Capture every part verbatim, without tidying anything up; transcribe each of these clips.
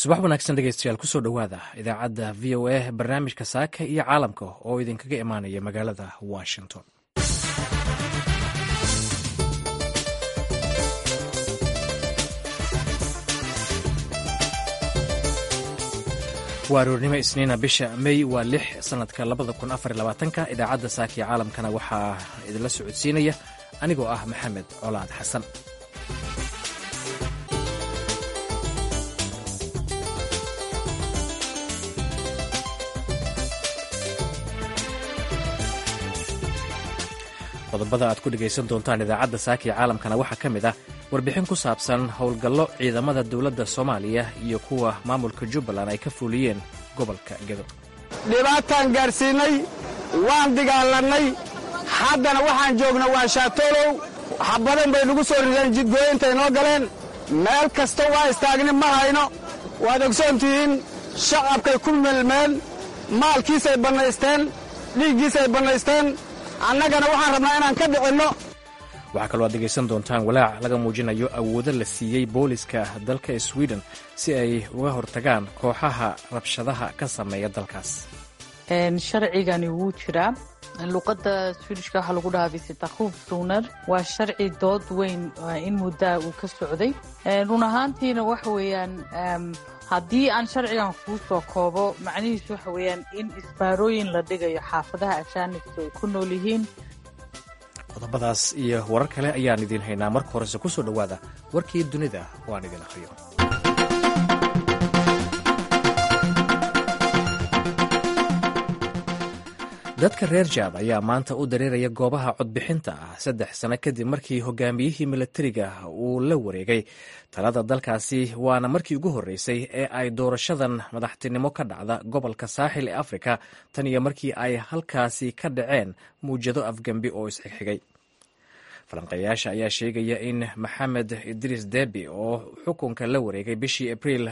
Subax wanaagsan dhegeystayaal, kusoo dhowaada idaacadda V O A, barnaamijka Saaka iyo Caalamka oo idinkaga imaanaya magaalada Washington. Waa aroornimo Isniina, bisha Mey waa lix, sanadka labada kun afar labaatanka. Idaacadda Saaka iyo Caalamkana waxaa idinla socodsiinaya anigoo ah Maxamed Colaad Xasan. Qodobada aad ku dhegaysan doontaan idaacadda Saaka iyo Caalamkana waxaa ka mid ah warbixin ku saabsan howlgallo ciidamada dowladda Soomaaliya iyo kuwa maamulka Jubbaland ay ka fuliyeen gobolka Gedo. Dhibaataan gaadhsiinnay, waan dagaalannay, haddana waxaan joogna waa Shaatolow. Xabadan bay nagu soo rideen, jidgooyintay noo galeen, meel kasta waa istaagni ma hayno. Waad ogsoon tihiin, shacabkay ku melmeen, maalkiisay bannaysteen, dhiiggiisay bannaysteen. Annagana waxaan rabnaa inaan ka dhicinno. Waxaa kaloo aad dhegaysan doontaan walaac laga muujinayo awoodo la siiyey booliska dalka Sweden si ay uga hortagaan kooxaha rabshadaha ka sameeya dalkaas. Sharcigani wuu jiraa. Luqadda Swedishka waxaa lagu dhahaa visitationszoner. Waa sharci dood weyn in muddaa uu ka socday. Run ahaantiina waxa weeyaan, haddii aan sharcigan kuu soo koobo, macnihiisu waxa weeyaan in isbaarooyin la dhigayo xaafadaha ajaanibtu ay ku nool yihiin. Qodobadaas iyo warar kale ayaan idiin haynaa. Marka horese kusoo dhowaada warkii dunida oo aan idin akhriyo. Dadka reer Jaad ayaa maanta u dareeraya goobaha codbixinta ah, saddex sano kadib markii hogaamiyihii milatariga uu la wareegay talada dalkaasi, waana markii ugu horreysay ee ay doorashadan madaxtinimo ka dhacda gobolka Saaxil ee Afrika tan iyo markii ay halkaasi ka dhaceen muwjado afgembi oo isxigxigay. Falanqeeyaasha ayaa sheegaya in Maxamed Idriis Debi oo xukunka la wareegay bishii Abriil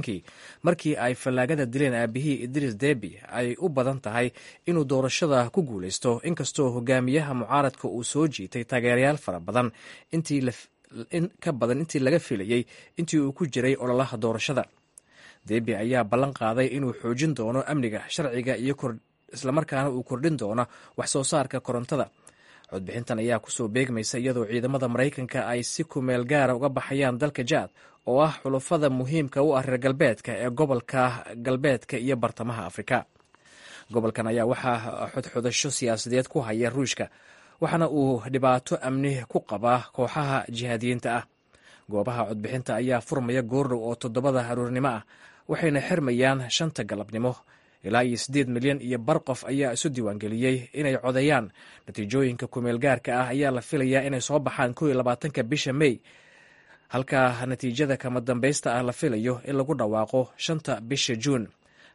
kii markii ay fallaagada dileen aabihii Idriis Debi ay u badan tahay inuu doorashada ku guuleysto, inkastoo hogaamiyaha mucaaradka uu soo jiitay taageerayaal fara badan, in ka badan intii laga filayey intii uu ku jiray ololaha doorashada. Debi ayaa ballan qaaday inuu xoojin doono amniga, sharciga iyo islamarkaana uu kordhin doono wax soo saarka korontada. Codbixintan ayaa kusoo beegmaysa iyadoo ciidamada Maraykanka ay si kumeel gaara uga baxayaan dalka Jaad oo ah xulufada muhiimka u ah reer galbeedka ee gobolka galbeedka iyo bartamaha Afrika. Gobolkan ayaa waxaa xodxodasho siyaasadeed ku haya Ruushka, waxaana uu dhibaato amni ku qabaa kooxaha jihaadiyiinta ah. Goobaha codbixinta ayaa furmaya goordhow oo toddobada aroornimo ah, waxayna xirmayaan shanta galabnimo. Ilaa iyo siddeed milyan iyo bar qof ayaa isu diiwaangeliyey inay codeeyaan. Natiijooyinka kumeel gaarka ah ayaa la filayaa inay soo baxaan kow iyo labaatanka bisha Mey, halka natiijada kama dambaysta ah la filayo in lagu dhawaaqo shanta bisha Juun.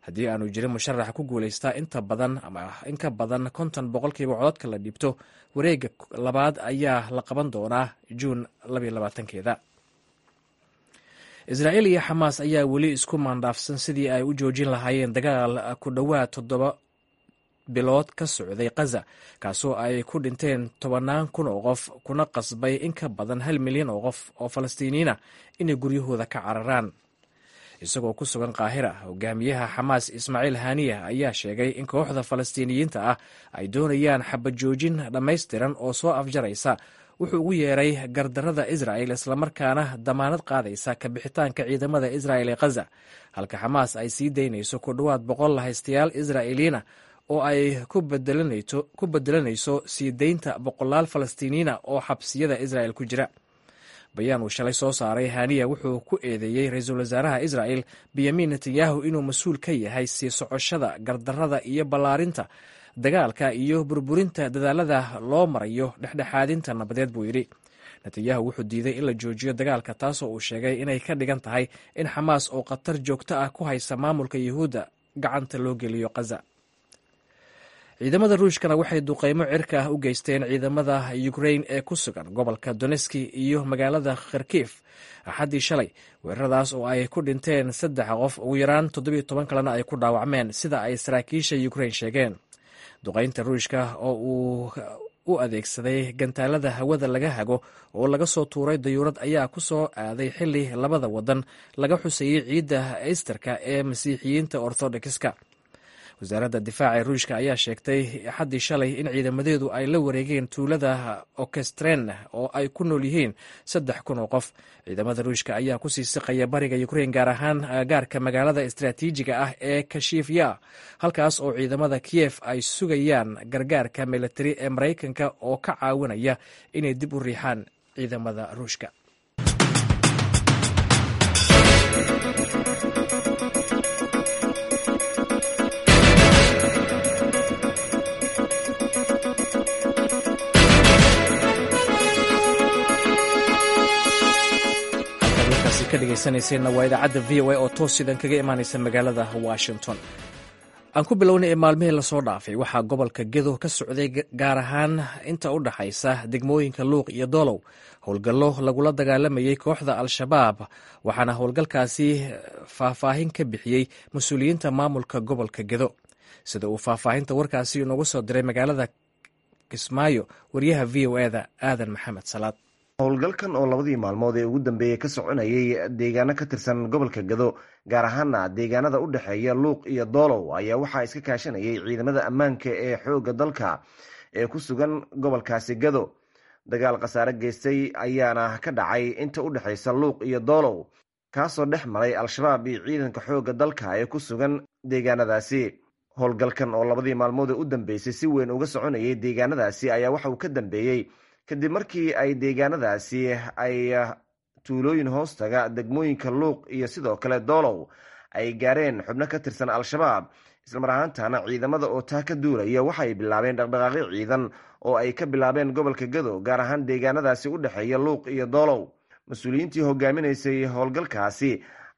Haddii aanu jirin musharax ku guulaystaa inta badan ama in ka badan konton boqolkiiba codadka la dhiibto, wareegga labaad ayaa la qaban doonaa Juun labaatankeeda. Israa'iil iyo Xamaas ayaa weli isku maandhaafsan sidii ay u joojin lahaayeen dagaal ku dhowaad toddoba bilood ka socday Khaza, kaasoo ay ku dhinteen tobannaan kun oo qof kuna qasbay in ka badan hal milyan oo qof oo Falastiiniyiin ah inay guryahooda ka cararaan. Isagoo ku sugan Qaahira, hogaamiyaha Xamaas Ismaaciil Haniya ayaa sheegay in kooxda Falastiiniyiinta ah ay doonayaan xabad joojin dhammaystiran oo soo afjaraysa wuxuu ugu yeeray gardarada Israa'el, islamarkaana damaanad qaadaysa kabixitaanka ciidamada Isra'el ee Khaza, halka Xamaas ay sii daynayso ku dhowaad boqol lahaystayaal Israa'iiliyiina oo ay ku bedelanayso sii daynta boqolaal Falastiiniyiina oo xabsiyada Isra'el ku jira. Bayaan uu shalay soo saaray Haniya wuxuu ku eedeeyey ra-iisul wasaaraha Isra'el Benyamin Netanyahu inuu mas-uul ka yahay sii socoshada gardarada iyo ballaarinta dagaalka iyo burburinta dadaalada loo marayo dhexdhexaadinta nabadeed, buu yidhi. Netanyahu wuxuu diiday in la joojiyo dagaalka, taasoo uu sheegay inay ka dhigan tahay in Xamaas oo khatar joogto ah ku haysa maamulka Yuhuudda gacanta loo geliyo Khaza. Ciidamada Ruushkana waxay duqeymo cirka ah u geysteen ciidamada Ukrain ee ku sugan gobolka Doneski iyo magaalada Kharkif Axaddii shalay, weeraradaas oo ay ku dhinteen saddex qof, ugu yaraan toddobiyo toban kalena ay ku dhaawacmeen, sida ay saraakiisha Ukrain sheegeen. Duqeynta Ruushka oo uu u adeegsaday gantaalada hawada laga hago oo laga soo tuuray dayuurad ayaa ku soo aaday xili labada wadan laga xusayey ciidda easterka ee masiixiyiinta orthodoxiska. Wasaaradda difaaca ee Ruushka ayaa sheegtay Axaddii shalay in ciidamadeedu ay la wareegeen tuulada Okestren oo ay ku nool yihiin saddex kun oo qof. Ciidamada Ruushka ayaa kusii siqaya bariga Ukrein, gaar ahaan gaarka magaalada istaraatiijiga ah ee Kashifya, halkaas oo ciidamada Kiyef ay sugayaan gargaarka militari ee Maraykanka oo ka caawinaya inay dib u riixaan ciidamada Ruushka. Dhegeysanayseenna waa idaacadda V O A oo toos sidan kaga imaanaysa magaalada Washington. Aan ku bilownay ee maalmihii lasoo dhaafay waxaa gobolka Gedo ka socday, gaar ahaan inta u dhaxaysa degmooyinka Luuq iyo Doolow, howlgallo lagula dagaalamayey kooxda Al-Shabaab, waxaana howlgalkaasi faahfaahin ka bixiyey mas-uuliyiinta maamulka gobolka Gedo. Sida uu faahfaahinta warkaasi inoogu soo diray magaalada Kismaayo wariyaha V O E-da Aadan Maxamed Salaad. Howlgalkan oo labadii maalmood ee ugu dambeeyey ka soconayay deegaano ka tirsan gobolka Gado, gaar ahaana deegaanada u dhexeeya Luuq iyo Doolow, ayaa waxaa iska kaashanayay ciidamada ammaanka ee xoogga dalka ee ku sugan gobolkaasi Gado. Dagaal khasaare geystay ayaana ka dhacay inta u dhexeysa Luuq iyo Doolow, kaasoo dhex maray Al-Shabaab iyo ciidanka xoogga dalka ee ku sugan deegaanadaasi. Howlgalkan oo labadii maalmood ee u dambeysay si weyn uga soconayay deegaanadaasi ayaa waxa uu ka dambeeyey kadib markii ay deegaanadaasi ay tuulooyin hoostaga degmooyinka Luuq iyo sidoo kale Doolow ay gaareen xubno ka tirsan Al-Shabaab, islamar ahaantana ciidamada oo taa ka duulaya waxaay bilaabeen dhaqdhaqaaqyo ciidan oo ay ka bilaabeen gobolka Gado, gaar ahaan deegaanadaasi u dhexeeya Luuq iyo Doolow. Mas-uuliyiintii hogaaminaysay howlgalkaasi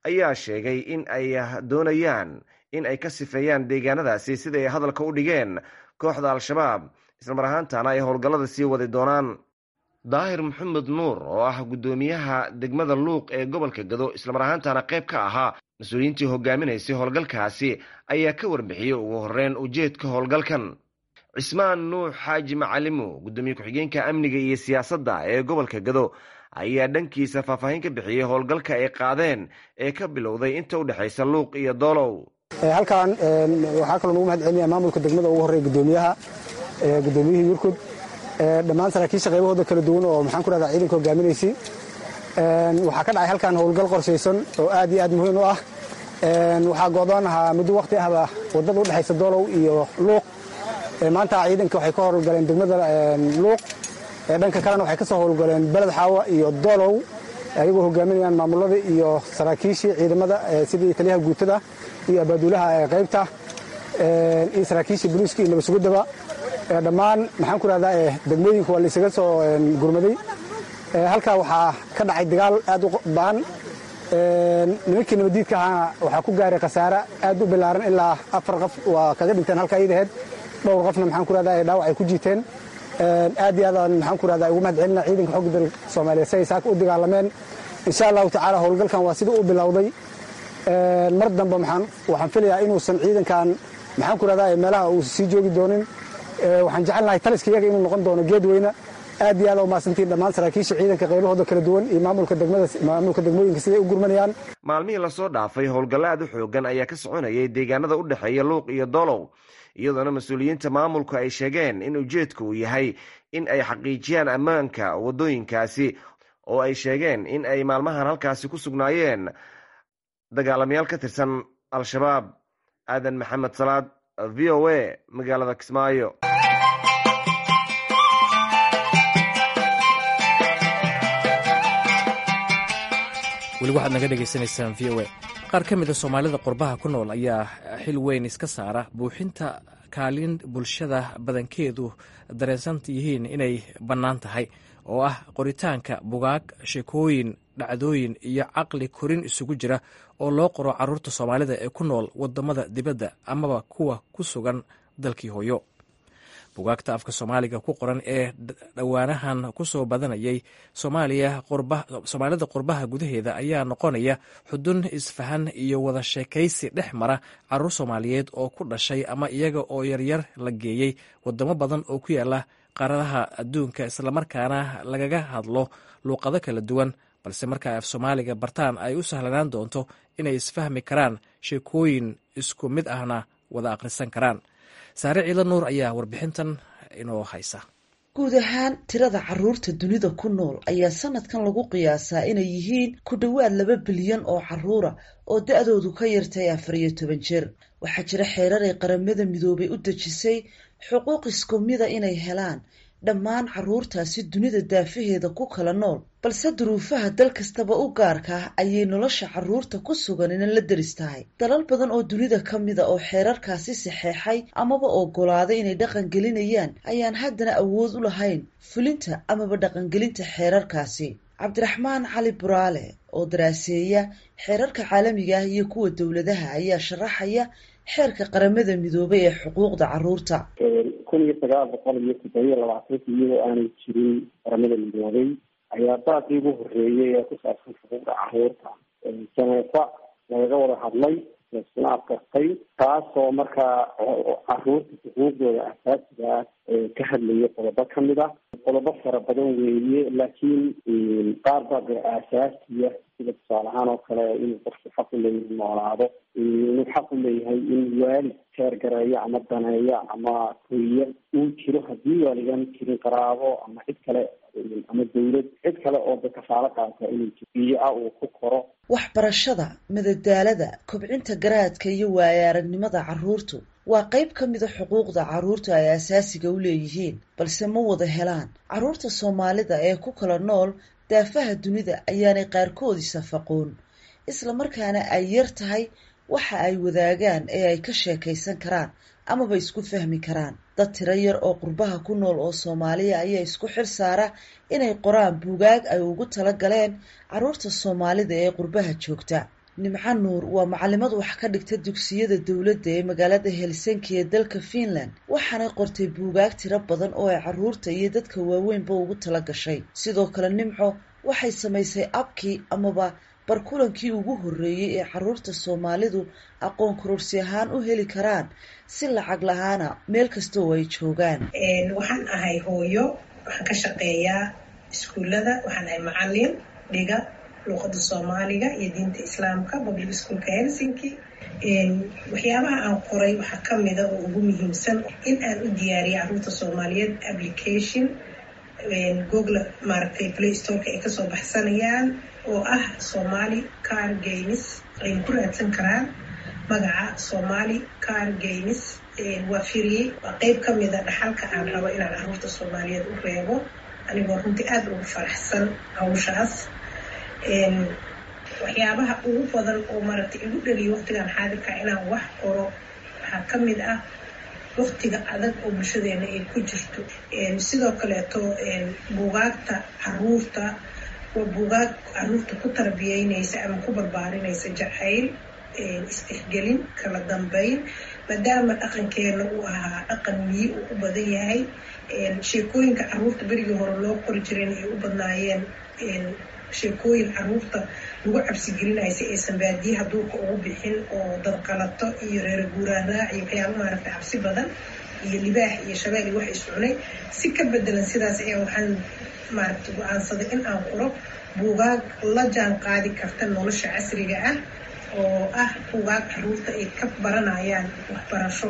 ayaa sheegay in ay doonayaan in ay ka sifeeyaan deegaanadaasi sida ay hadalka u dhigeen kooxda Al-Shabaab, islamar ahaantana ay howlgallada sii wadi doonaan. Daahir Maxamed Nuur oo ah guddoomiyaha degmada Luuq ee gobolka Gado, islamar ahaantana qayb ka ahaa mas-uuliyiintii hogaaminaysay howlgalkaasi, ayaa ka warbixiyey ugu horeyn ujeedka howlgalkan. Cismaan Nuux Xaaji Macalimo, guddoomiye ku-xigeenka amniga iyo siyaasadda ee gobolka Gado, ayaa dhankiisa faahfaahin ka bixiyey howlgalka ay qaadeen ee ka bilowday inta u dhexaysa Luuq iyo Doolow. Halkan waxaa kaloo nagu mahad celinaya maamulka degmada, ugu horreeya guddoomiyaha gudoomiyihii Yurkud, dhammaan saraakiisha qaybahooda kala duwan oo maxaan ku rahdaa ciidanka hogaaminaysay. Waxaa ka dhacay halkan howlgal qorshaysan oo aad iyo aad muhiim u ah. Waxaa go'doon ahaa muddo waqti ahba waddada u dhexaysa Doolow iyo Luuq. Maanta ciidanka waxay ka howlgaleen degmada Luuq, dhanka kalena waxay ka soo howlgaleen Beled Xaawa iyo Doolow, ayagoo hogaaminayaan maamulada iyo saraakiishii ciidamada sidii taliyaha guutada iyo abaaduulaha qaybta iyo saraakiishii boliiska iyo nabadsuguddaba. Dhammaan maxaan ku rahdaa degmooyinka waa laysaga soo gurmaday. Halkaa waxaa ka dhacay dagaal aad u ba'an. Nimankii nabadiidka ahaana waxaa ku gaaray khasaare aad u bilaaran, ilaa afar qof waa kaga dhinteen halkaa iyadaheed, dhowr qofna maxaan ku rahdaa dhaawac ay ku jiiteen. Aad iyo aadaan maxaan ku rahdaa ugu mahad celina ciidanka xogga dalka Soomaaliya si ay saaka u dagaalameen. Insha Allahu tacaala howlgalkan waa sida uu bilowday. Mar dambe maxaan waxaan filayaa inuusan ciidankan maxaan ku rahdaa meelaha uu sii joogi doonin. Waxaan jecelnahay taliska iyaga inuu noqon doono Geedweyne. Aad iyo aad u mahadsantiin dhammaan saraakiisha ciidanka qaybahooda kala duwan iyo maamulka degmada, maamulka degmooyinka siday u gurmanayaan. Maalmihii lasoo dhaafay howlgallo aad u xoogan ayaa ka soconayay deegaanada u dhexeeya Luuq iyo Doolow, iyadoona mas-uuliyiinta maamulku ay sheegeen in ujeedku uu yahay in ay xaqiijiyaan ammaanka waddooyinkaasi, oo ay sheegeen in ay maalmahan halkaasi ku sugnaayeen dagaalamayaal ka tirsan Al-Shabaab. Aadan Maxamed Salaad, V O A, magaalada Kismaayo. Weli waxaad naga dhegaysanaysaan V O A. Qaar ka mida Soomaalida qurbaha ku nool ayaa xil weyn iska saara buuxinta kaalin bulshada badankeedu dareensan yihiin inay bannaan tahay, oo ah qoritaanka bugaag, sheekooyin, dhacdooyin iyo caqli korin isugu jira oo loo qoro carruurta Soomaalida ee ku nool waddamada dibadda amaba kuwa ku sugan dalkii hooyo. Bugaagta afka Soomaaliga ku qoran ee dhowaanahan ku soo badanayay Soomaaliya, Soomaalida qurbaha gudaheeda ayaa noqonaya xudun isfahan iyo wada sheekaysi dhex mara carruur Soomaaliyeed oo ku dhashay ama iyaga oo yaryar la geeyey wadamo badan oo ku yaala qaaradaha adduunka, islamarkaana lagaga hadlo luuqado kala duwan, balse marka ay af Soomaaliga bartaan ay u sahlanaan doonto inay isfahmi karaan, sheekooyin isku mid ahna wada akhrisan karaan. Saare Ciidla Nuur ayaa warbixintan inoo haysa. Guud ahaan tirada caruurta dunida ku nool ayaa sanadkan lagu qiyaasaa inay yihiin ku dhowaad laba bilyan oo caruura oo da-doodu ka yartay afar iyo toban jir. Waxaa jira xeerar ay Qaramada Midoobay u dejisay xuquuq isku mida inay helaan dhammaan caruurtaasi dunida daafaheeda ku kala nool, balse duruufaha dal kastaba u gaarka ah ayay nolosha caruurta ku sugan inan la deris tahay. Dalal badan oo dunida ka mida oo xeerarkaasi saxeexay amaba ogolaaday inay dhaqan gelinayaan ayaan haddana awood u lahayn fulinta amaba dhaqangelinta xeerarkaasi. Cabdiraxmaan Cali Buraale oo daraaseeya xeerarka caalamiga ah iyo kuwa dowladaha ayaa sharaxaya xeerka Qaramada Midoobay ee xuquuqda caruurta. Kun iyo sagaal boqol iyo toddobiyo labaatanki, iyadoo aanay jirin Qaramada Midoobay, ayaa baaqii ugu horreeyay ee ku saabsan xuquuqda caruurta Janeefa lagaga wada hadlay, laisuna adkartay, taasoo markaa caruurta xuquuqdooda asaasiga ah ka hadlaya qodobo kamid ah. Qodobo fara badan weeye, laakiin qaar baa dee aasaasiya, sida tusaale ahaan oo kale inuu qofku xaq u leeyahay noolaado, inuu xaq u leeyahay in waalid teergareeya ama daneeya ama koriya uu jiro, haddii waaligaan jirin qaraabo ama cid kale ama dawlad, cid kale oo de kafaalo qaata inuu jiro iyo ah uu ku koro. Waxbarashada, madadaalada, kobcinta garaadka iyo waaya aragnimada caruurtu waa qayb ka mida xuquuqda caruurtu ay asaasiga u leeyihiin, balse ma wada helaan. Caruurta Soomaalida ee ku kala nool daafaha dunida ayaanay qaarkood isafaqoon, isla markaana ay yar tahay waxa ay wadaagaan ee ay ka sheekaysan karaan amaba isku fahmi karaan. Dad tiro yar oo qurbaha ku nool oo Soomaaliya ayaa isku xil saara inay qoraan buugaag ay ugu tala galeen caruurta Soomaalida ee qurbaha joogta. Nimco Nuur waa macalimad wax ka dhigta dugsiyada dowladda ee magaalada Helsinki ee dalka Finland, waxaanay qortay buugaag tiro badan oo ay caruurta iyo dadka waaweynba ugu tala gashay. Sidoo kale Nimco waxay samaysay abkii amaba barkulankii ugu horreeyey ee caruurta Soomaalidu aqoon kororsi ahaan u heli karaan si lacag la-aana meel kasta oo ay joogaan. Waxaan ahay hooyo, waxaan ka shaqeeyaa iskuullada, waxaan ahay macalin dhiga luuqada Soomaaliga iyo diinta Islaamka public schoolka Helsinki. Waxyaabaha aan qoray waxaa kamida oo ugu muhiimsan in aan u diyaariyay caruurta Soomaaliyeed application Google, maaragtay, Play Storeka ay kasoo baxsanayaan oo ah Somali Card Games, ay ku raadsan karaan magaca Somali Card Games. Waa firiyey, waa qeyb kamida dhaxalka aan rabo inaan caruurta Soomaaliyeed u reebo, anigoo runtii aada ugu faraxsan hawshaas. Waxyaabaha ugu badan oo maaragtay igu dhaliyo waqtigan xaadirka inaan wax qoro waxaa kamid ah waqtiga adag oo bulshadeena ay ku jirto. Sidoo kaleeto buugaagta caruurta waa buugaag caruurta ku tarbiyeynaysa ama ku barbaarinaysa jacayl, istixgelin, kala dambeyn, maadaama dhaqankeena uu ahaa dhaqan miyi uu u badan yahay. Sheekooyinka caruurta berigii hore loo qori jireen ay u badnaayeen sheekooyin caruurta lagu cabsigelinayo si aysan baadiyaha duurka ugu bixin oo dadqalato iyo reer guuraaraac iyo waxyaaba maaragtay cabsi badan iyo libaax iyo shabeel iyo wax is cunay. Si ka bedelan sidaas ayaa waxaan maaragtay go-aansaday in aan qoro buugaag la jaan qaadi karta nolosha casriga ah, oo ah buugaag caruurta ay ka baranayaan waxbarasho,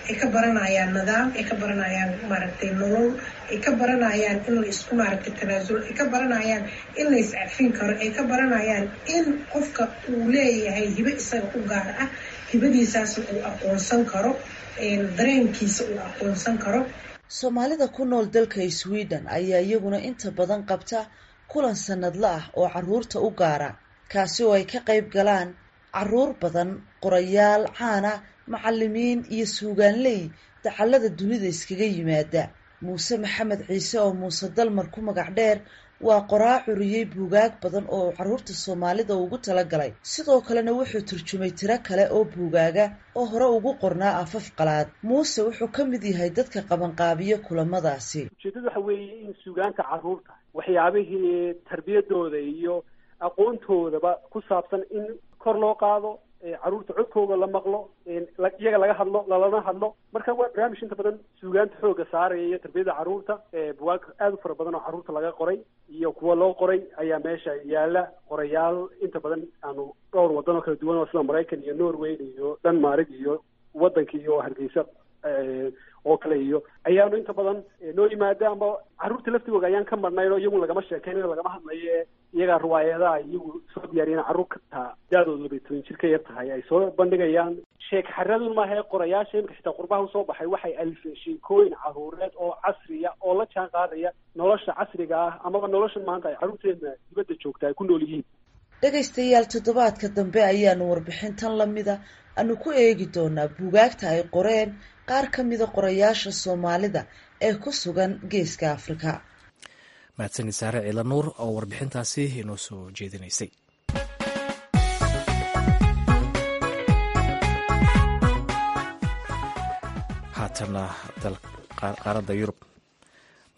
ay ka baranayaan nidaam, ay ka baranayaan maaragtay nolol, ay ka baranayaan in la isku maaragtay tanaasulo, ay ka baranayaan in la iscafin karo, ay ka baranayaan in qofka uu leeyahay hibo isaga u gaar ah, hibadiisaas uu aqoonsan karo, dareenkiisa uu aqoonsan karo. Soomaalida ku nool dalka Sweden ayaa iyaguna inta badan qabta kulan sanadla ah oo caruurta u gaara, kaasi oo ay ka qayb galaan caruur badan, qorayaal caana, macalimiin iyo suugaanley dacallada dunida iskaga yimaada. Muuse Maxamed Ciise oo Muuse Dalmar ku magac dheer waa qoraa curiyey buugaag badan oo caruurta Soomaalida ugu talagalay, sidoo kalena wuxuu turjumay tiro kale oo buugaaga oo hore ugu qornaa afaf qalaad. Muuse wuxuu ka mid yahay dadka qabanqaabiya kulamadaasi. Ujeedadu waxa weeye in suugaanta caruurta, waxyaabihii tarbiyadooda iyo aqoontoodaba ku saabsan, in kor loo qaado. Caruurta codkooga la maqlo, iyaga laga hadlo, lalana hadlo. Marka waa barnaamij inta badan suugaanta xooga saaraya iyo tarbiyada caruurta. Buwaag aada u fara badan oo caruurta laga qoray iyo kuwa loo qoray ayaa meesha yaala. Qorayaal inta badan aanu dhowr wadan oo kala duwan oo sida Maraykan iyo Norway iyo Denmark iyo wadanka iyo Hargeysa oo kale iyo ayaanu inta badan noo yimaada, ama caruurta laftigooga ayaan ka marnayn oo iyagu lagama sheekeynayo, lagama hadlayo. Iyagaa ruwaayadaha iyagu soo diyaariyeen, carruur kataa da-doodu labay toban jir ka yar tahay ay soo bandhigayaan. Sheek xaradun maaha, qorayaasha imika xitaa qurbaha usoo baxay waxay alifeen sheekooyin caruureed oo casriya oo la jaan qaadaya nolosha casriga ah amaba noloshan maanta ay carruurteena dibadda joogta ay ku nool yihiin. Dhegaystayaal, toddobaadka dambe ayaanu warbixintan lamida aanu ku eegi doonaa buugaagta ay qoreen qaar ka mida qorayaasha Soomaalida ee ku sugan Geeska Afrika. Mahadsanid Saare Ciila Nuur oo warbixintaasi inoo soo jeedinaysay. Haatana qaaradda Yurub,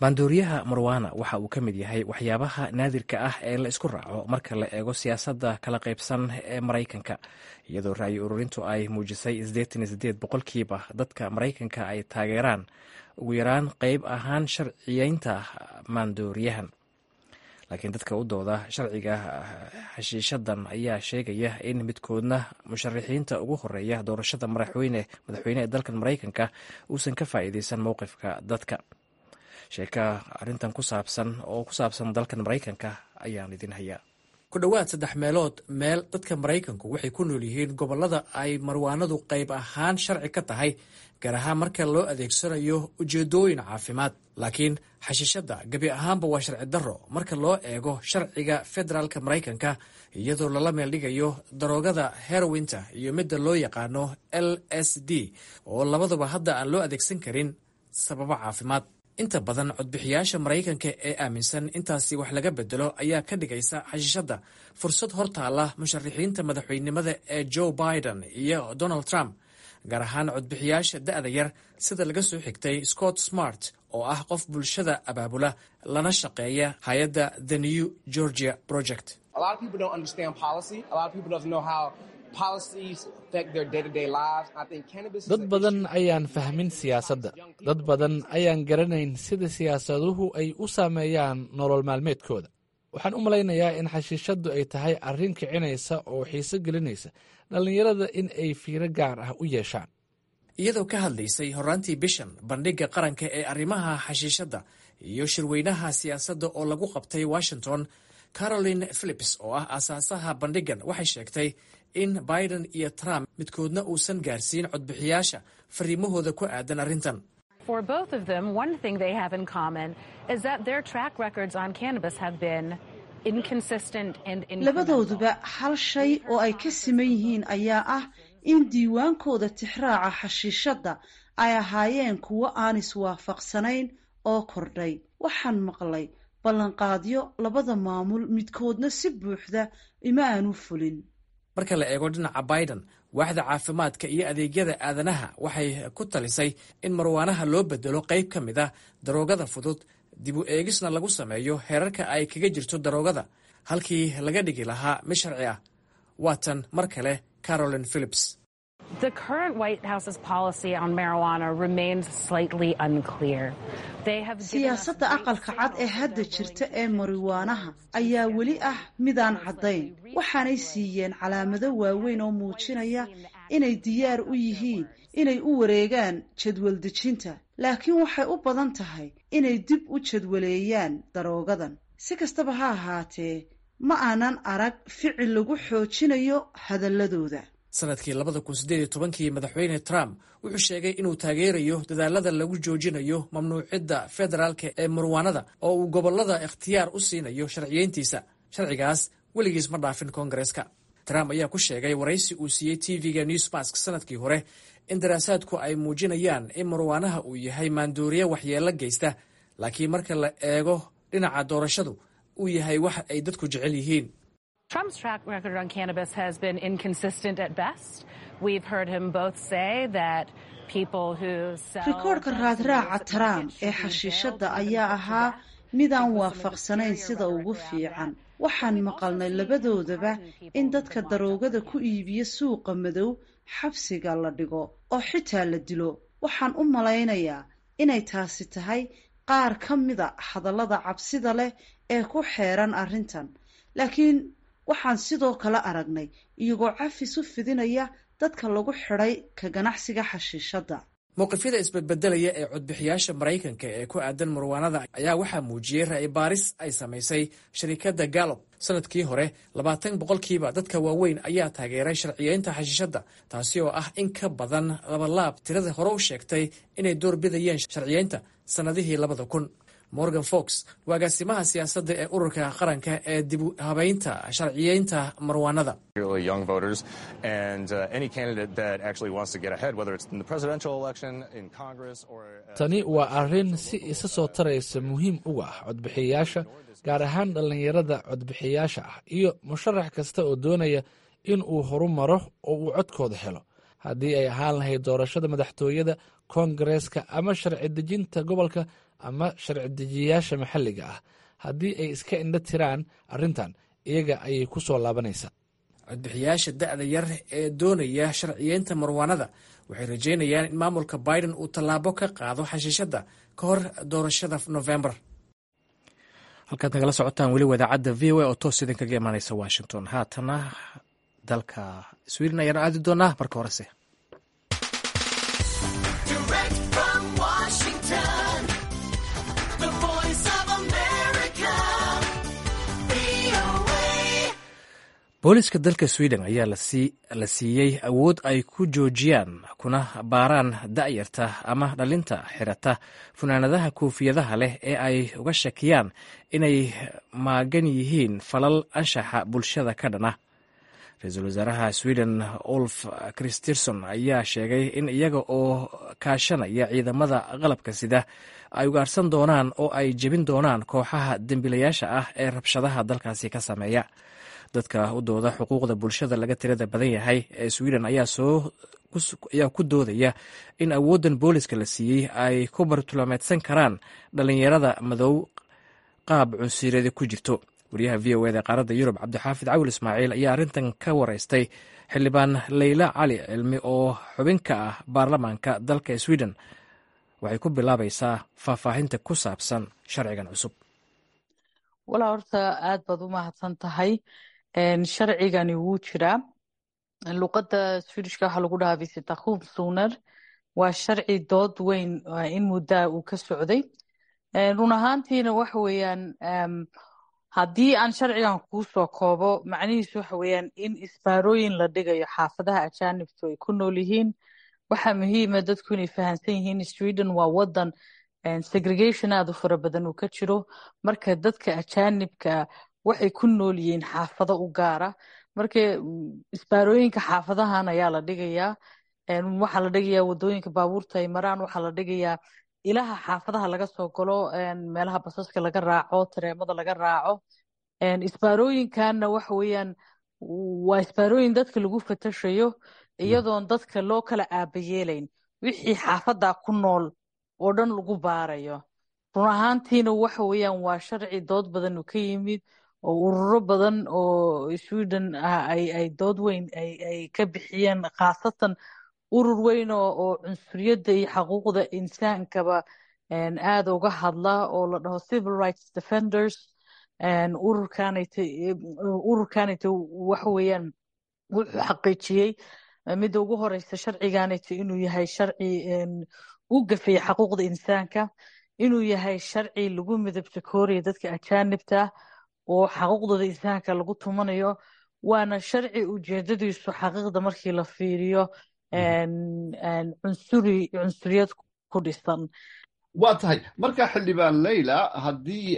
maandooriyaha marwaana waxa uu ka mid yahay waxyaabaha naadirka ah ee la isku raaco marka la eego siyaasadda kala qaybsan ee Maraykanka, iyadoo ra'yi ururintu ay muujisay siddeetan iyo siddeed boqolkiiba dadka Maraykanka ay taageeraan ugu yaraan qeyb ahaan sharciyeynta maandooriyahan. Laakiin dadka u dooda sharciga xashiishadan ayaa sheegaya in midkoodna musharaxiinta ugu horeeya doorashada madaxweyne madaxweyne ee dalkan Maraykanka uusan ka faa'iideysan mowqifka dadka. Sheeka arrintan ku saabsan oo ku saabsan dalkan Maraykanka ayaan idin hayaa. Ku dhowaad saddex meelood meel dadka Maraykanku waxay ku nool yihiin gobollada ay marwaanadu qayb ahaan sharci ka tahay, gaar ahaan marka loo adeegsanayo ujeedooyin caafimaad. Laakiin xashiishadda gebi ahaanba waa sharci darro marka loo eego sharciga federaalka Maraykanka, iyadoo lala meeldhigayo daroogada herowinta iyo midda loo yaqaano L S D oo labaduba hadda aan loo adeegsan karin sababo caafimaad. Inta badan codbixiyaasha Maraykanka ee aaminsan intaasi wax laga bedelo ayaa ka dhigaysa xashiishadda fursad hor taalla musharaxiinta madaxweynenimada ee Joe Biden iyo Donald Trump, gaar ahaan codbixiyaasha da'da yar, sida laga soo xigtay Scott Smart oo ah qof bulshada abaabula lana shaqeeya hay-adda The New Georgia Project. Dad badan ayaan fahmin siyaasadda. Dad badan ayaan garanayn sida siyaasaduhu ay u saameeyaan nolol maalmeedkooda. Waxaan u malaynayaa in xashiishaddu ay tahay arrin kicinaysa oo xiiso gelinaysa dhallinyarada in ay fiiro gaar ah u yeeshaan. Iyadoo ka hadlaysay horraantii bishan bandhigga qaranka ee arrimaha xashiishadda iyo shirweynaha siyaasadda oo lagu qabtay Washington, Caroline Philips oo ah aasaasaha bandhiggan waxay sheegtay in Biden iyo Trump midkoodna uusan gaarsiin codbixiyaasha fariimahooda ku aadan arrintan. For both of them, one thing they have in common is that their track records on cannabis have been inconsistent and Labadooduba hal shay oo ay ka siman yihiin ayaa ah in diiwaankooda tixraaca xashiishadda ay ahaayeen kuwo aan iswaafaqsanayn oo kordhay. Waxaan maqlay ballanqaadyo labada maamul, midkoodna si buuxda ima aanu fulin. Marka la eego dhinaca Biden, waaxda caafimaadka iyo adeegyada aadanaha waxay ku talisay in marwaanaha loo bedelo qayb ka mid ah daroogada fudud, dib u eegisna lagu sameeyo heerarka ay kaga jirto daroogada halkii laga dhigi lahaa mid sharci ah. Waatan mar kale Caroline Philips. The current White House's policy on marijuana remains slightly unclear. They have Siyaasadda Aqalka Cad ee hadda jirta ee mariwaanaha ayaa weli ah midaan caddayn. Waxaanay siiyeen calaamado waaweyn oo muujinaya inay diyaar u yihiin inay u wareegaan jadwal dejinta, laakiin waxay u badan tahay inay dib u jadwaleeyaan daroogadan. Si kastaba ha ahaatee, ma aanan arag ficil lagu xoojinayo hadalladooda. Sanadkii labada kun siddeed iyo tobankii Madaxweyne Trump wuxuu sheegay inuu taageerayo dadaalada lagu joojinayo mamnuucidda federaalka ee marwaanada oo uu gobollada ikhtiyaar u siinayo sharciyeyntiisa. Sharcigaas weligiis ma dhaafin Koongareeska. Trump ayaa ku sheegay waraysi uu siiyey T V-ga Newsmax sanadkii hore in daraasaadku ay muujinayaan in marwaanaha uu yahay maandooriye waxyeello geysta, laakiin marka la eego dhinaca doorashadu uu yahay wax ay dadku jecel yihiin. Trump's track record on cannabis has been inconsistent at best. We've heard him both say that people who sell Rikoodhka raadraaca Trump ee xashiishadda ayaa ahaa midaan waafaqsanayn sida ugu fiican. Waxaan maqalnay labadoodaba in dadka daroogada ku iibiya suuqa madow xabsiga la dhigo oo xitaa la dilo. Waxaan u malaynayaa inay taasi tahay qaar ka mida hadallada cabsida leh ee ku xeeran arrintan, laakiin waxaan sidoo kale aragnay iyagoo cafis u fidinaya dadka lagu xidhay ka ganacsiga xashiishadda. Mowqifyada isbedbedelaya ee codbixiyaasha Maraykanka ee ku aadan marwaanada ayaa waxaa muujiyey ra'yi baaris ay samaysay sharikadda Gallup. Sanadkii hore, labaatan boqolkiiba dadka waaweyn ayaa taageeray sharciyeynta xashiishadda, taasi oo ah in ka badan labalaab tirada hore u sheegtay inay door bidayeen sharciyeynta sannadihii labada kun. Morgan Fox waa agaasimaha siyaasadda ee ururka qaranka ee dib u habeynta sharciyeynta marwaanada. Particularly young voters, and uh, any candidate that actually wants to get ahead, whether it's in the presidential election, in Congress, or uh, Tani waa arrin si isa soo taraysa muhiim uga ah codbixiyayaasha, gaar ahaan dhallinyarada codbixiyayaasha ah, iyo musharax kasta oo doonaya in uu horumaro oo uu codkooda helo, haddii ay ahaan lahayd doorashada madaxtooyada, koongareeska ama sharci dejinta gobolka ama sharci dejiyayaasha maxalliga ah. Haddii ay iska indho tiraan arrintan, iyaga ayay ku soo laabanaysaa. Codbixiyaasha da'da yar ee doonaya sharciyeynta marwaanada waxay rajeynayaan in maamulka Biden uu tallaabo ka qaado xashiishadda ka hor doorashada November. Halkaad nagala socotaan weli wadaacadda V O A oo toos idinkaga imaaneysa Washington. Haatana dalka Sweden ayaanu aadi doonaa. Marka horese Direct from Washington, the Voice of America, V O A. Booliska dalka Sweden ayaa la siiyey awood ay ku joojiyaan kuna baaraan da'yarta ama dhalinta xirata funaanadaha koofiyadaha leh ee ay uga shakiyaan inay maagan yihiin falal anshaxa bulshada ka dhana. Ra-iisul wasaaraha Sweden Ulf Kristersson ayaa sheegay in iyaga oo kaashanaya ciidamada qalabka sida ay ugaarsan doonaan oo ay jebin doonaan kooxaha dembiilayaasha ah ee rabshadaha dalkaasi ka sameeya. Dadka u dooda xuquuqda bulshada laga tirada badan yahay ee Sweden ayaa soo ayaa ku doodaya in awooddan booliska la siiyey ay ku bartilmaameedsan karaan dhalinyarada madow qaab cunsuriyada ku jirto. Wariyaha V O A da qaaradda Yurub, Cabdixaafid Cawil Ismaaciil, ayaa arrintan ka wareystay xildhibaan Leyla Cali Cilmi oo xubin ka ah baarlamaanka dalka Sweden. Waxay ku bilaabaysaa faahfaahinta ku saabsan sharcigan cusub. Walaa, horta aad baad u mahadsan tahay. Sharcigani wuu jiraa. Luqadda Swedishka waxaa lagu dhahaa visitationszoner. Waa sharci dood weyn in muddaa uu ka socday. Run ahaantiina waxa weeyaan, haddii aan sharcigan kuu soo koobo, macnihiisu waxa weeyaan in isbaarooyin la dhigayo xaafadaha ajaanibtu ay ku nool yihiin. Waxaa muhiima dadku inay fahansan yihiin Sweden waa wadan segregation aad u fara badan uu ka jiro. Marka dadka ajaanibka waxay ku nool yihiin xaafado u gaara. Marka isbaarooyinka xaafadahan ayaa la dhigayaa. Waxaa la dhigayaa wadooyinka baabuurta ay maraan, waxaa la dhigayaa ilaha xaafadaha laga soo galo, meelaha basaska laga raaco, tareemada laga raaco. Isbaarooyinkanna waxa weeyaan waa isbaarooyin dadka lagu fatashayo, iyadoon dadka loo kala aabayeelayn, wixii xaafadda ku nool oo dhan lagu baarayo. Run ahaantiina waxa weeyaan waa sharci dood badan uu ka yimid oo ururo badan oo Sweden ah ay ay dood weyn ay ay ka bixiyeen, khaasatan urur weyn oo oo cunsuriyadda iyo xaquuqda insaankaba aad uga hadla oo la dhaho Civil Rights Defenders. Ururkanayta ururkanayta waxa weeyaan wuxuu xaqiijiyey midda ugu horeysa sharciganayta inuu yahay sharci u gafay xaquuqda insaanka, inuu yahay sharci lagu midabta kooraya dadka ajaanibta oo xaquuqdooda insaanka lagu tumanayo, waana sharci ujeedadiisu xaqiiqda markii la fiiriyo cunsuri cunsuriyad ku dhisan. Waa tahay. Marka, xildhibaan Leyla, haddii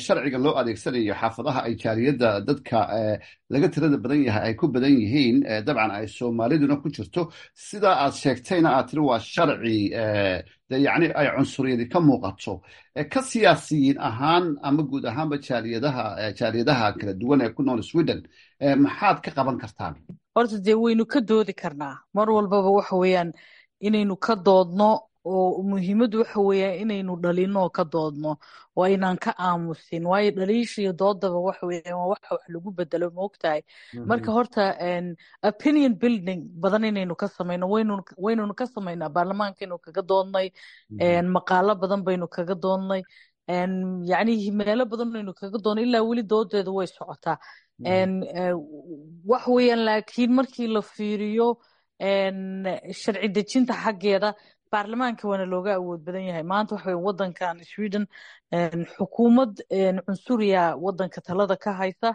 sharciga loo adeegsanayo xaafadaha ay jaaliyadda dadka laga tirada badan yahay ay ku badan yihiin, dabcan ay Soomaaliduna ku jirto, sidaa aad sheegtayna aad tiri waa sharci de yacni ay cunsuriyadi ka muuqato, ka siyaasiyiin ahaan ama guud ahaanba jaaliyadaha jaaliyadaha kala duwan ee ku nool Sweden, maxaad ka qaban kartaan? Horta dee waynu ka doodi karnaa mar walbaba. Waxa weeyaan inaynu ka doodno. Oo muhiimaddu waxa weeya inaynu dhalino oo ka doodno oo aynaan ka aamusin, waayo dhaliisha iyo doodaba waxa weeyaan waa waxa wax lagu bedelo, moogtahay. Marka horta opinion building badan inaynu ka samayno, waynu waynunu ka samaynaa. Baarlamaankaynu kaga doodnay, maqaalo badan baynu kaga doodnay, yacni meelo badan baynu kaga doodnay, ilaa weli doodeedu way socotaa wax weeyaan. Laakiin markii la fiiriyo sharci dejinta xaggeeda, baarlamaanka waana looga awood badan yahay maanta. Waxa weye wadankan Sweden xukuumad cunsuriya wadanka talada ka haysa.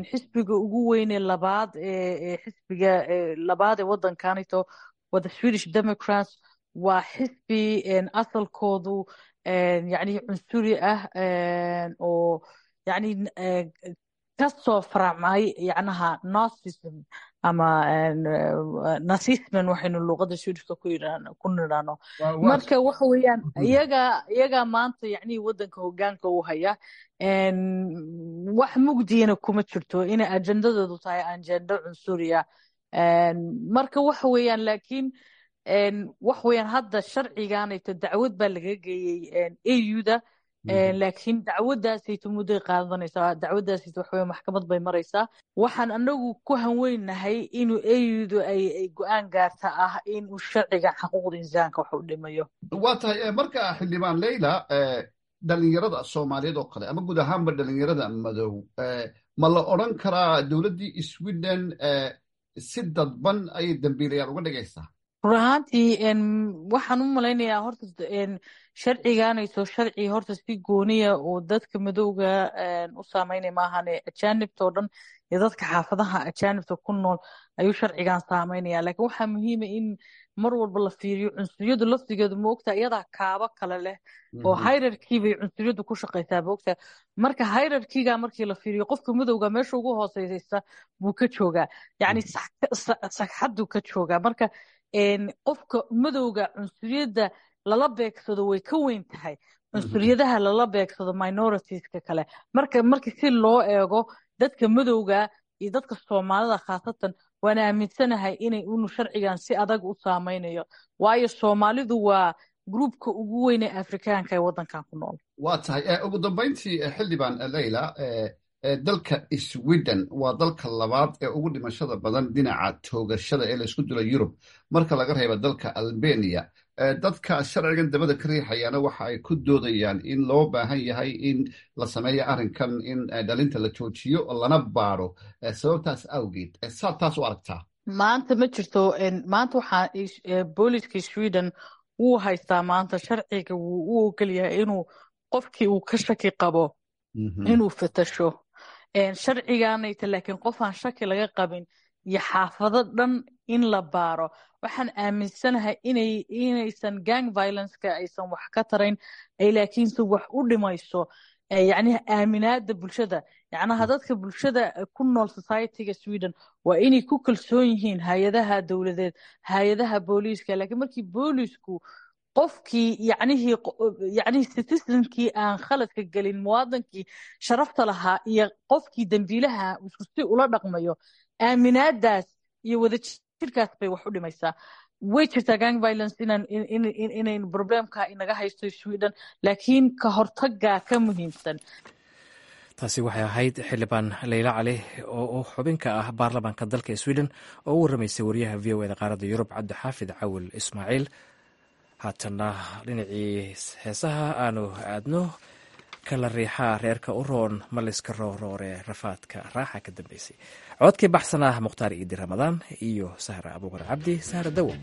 Xisbiga ugu weyne labaad ee xisbiga labaad ee wadankanito waa the Swedish Democrats, waa xisbi asalkoodu yacni cunsuri ah oo yacni kasoo faracmay yacnaha Nazism ama nazismen waxaynu luuqada Swedishka ku yidhaahno ku nidhaahno. Marka waxa weeyaan iyaga iyagaa maanta yacni wadanka hoggaanka u haya. Wax mugdiyana kuma jirto inay ajendadoodu tahay ajendo cunsuriya. Marka waxa weeyaan, laakiin wax weeyaan hadda sharciganayto dacwad baa laga geeyey A U-da, laakiin dacwadaasayto mudday qaadanaysaa. Dacwadaasayto waxa weeye maxkamad bay maraysaa. Waxaan anagu ku hanweynahay inuu A U-du ay ay go-aan gaarta ah inuu sharciga xuquuqda insaanka wax u dhimayo. Waa tahay. Marka xildhibaan Leyla, dhalinyarada Soomaaliyeed oo kale ama guud ahaanba dhalinyarada madow, ma la odran karaa dowladdii Sweden si dadban ayay dambiilayaal uga dhigaysaa? Run ahaantii waxaan u malaynayaa horta sharciganayso sharci horta si gooniya oo dadka madowga u saameynaya maahane, ajaanibta oo dhan iyo dadka xaafadaha ajaanibta ku nool ayuu sharcigan saameynaya. Laakiin waxaa muhiima in mar walba la fiiriyo cunsuriyadu laftigeedu, ma ogtaa, iyadaa kaabo kale leh oo hierarchy bay cunsuriyadu ku shaqaysaa, ma ogtaa. Marka hierarchyga markii la fiiriyo, qofka madowga meesha ugu hooseysa buu ka joogaa, yacni sagxaduu ka joogaa. Marka qofka madowga cunsuriyadda lala beegsado way ka weyn tahay cunsuriyadaha lala beegsado minoritieska kale. Marka marka si loo eego dadka madowga iyo dadka Soomaalida khaasatan, waan aaminsanahay inay unu sharcigan si adag u saameynayo, waayo Soomaalidu waa groupka ugu weyn ee Afrikaanka ee waddankan ku nool. Waa tahay. Ugu dambayntii, xildhibaan Leyla, dalka Sweden waa dalka labaad ee ugu dhimashada badan dhinaca toogashada ee laysku dilo Yurub marka laga reebo dalka Albania. Dadka sharcigan dabada ka riixayaana waxa ay ku doodayaan in loo baahan yahay in la sameeyo arrinkan, in dhalinta la joojiyo lana baaro sababtaas awgeed. Saad taas u aragtaa? Maanta ma jirto. Maanta waxaa booliska Sweden wuu haystaa maanta sharciga wuu u ogol yahay inuu qofkii uu ka shaki qabo inuu fatasho sharciganayta. Laakiin qof aan shaki laga qabin iyo xaafado dhan in la baaro, waxaan aaminsanahay inay inaysan gang violenceka aysan wax ka tarayn ay, laakiinse wax u dhimayso yacniha aaminaada bulshada. Yacnaha dadka bulshada ku nool societyga Sweden waa inay ku kalsoon yihiin hay-adaha dowladeed, hay-adaha booliiska. Laakiin markii boolisku qofkii yacnihii yacnihii citizenkii aan khaladka gelin, muwaadankii sharafta lahaa iyo qofkii dembiilaha isku si ula dhaqmayo, aaminaadaas iyo wadajirkaas bay wax u dhimaysaa. Way jirtaa gang violence inaan inayn problemka inaga haysto Sweden, laakiin ka hortagaa ka muhiimsan. Taasi waxay ahayd xildhibaan Leyla Cali oo xubin ka ah baarlamaanka dalka Sweden oo u warramaysay wariyaha V O E da qaaradda Yurub, Cabdixaafid Cawil Ismaaciil. Haatanna dhinacii heesaha aanu aadno. Kala riixaa reerka u roon, maliska rooroore, rafaadka raaxa ka dambeysay. Codkii baxsanah Mukhtaar Iidi Ramadaan iyo Sahra Abuukar Cabdi, Sahra Dawo.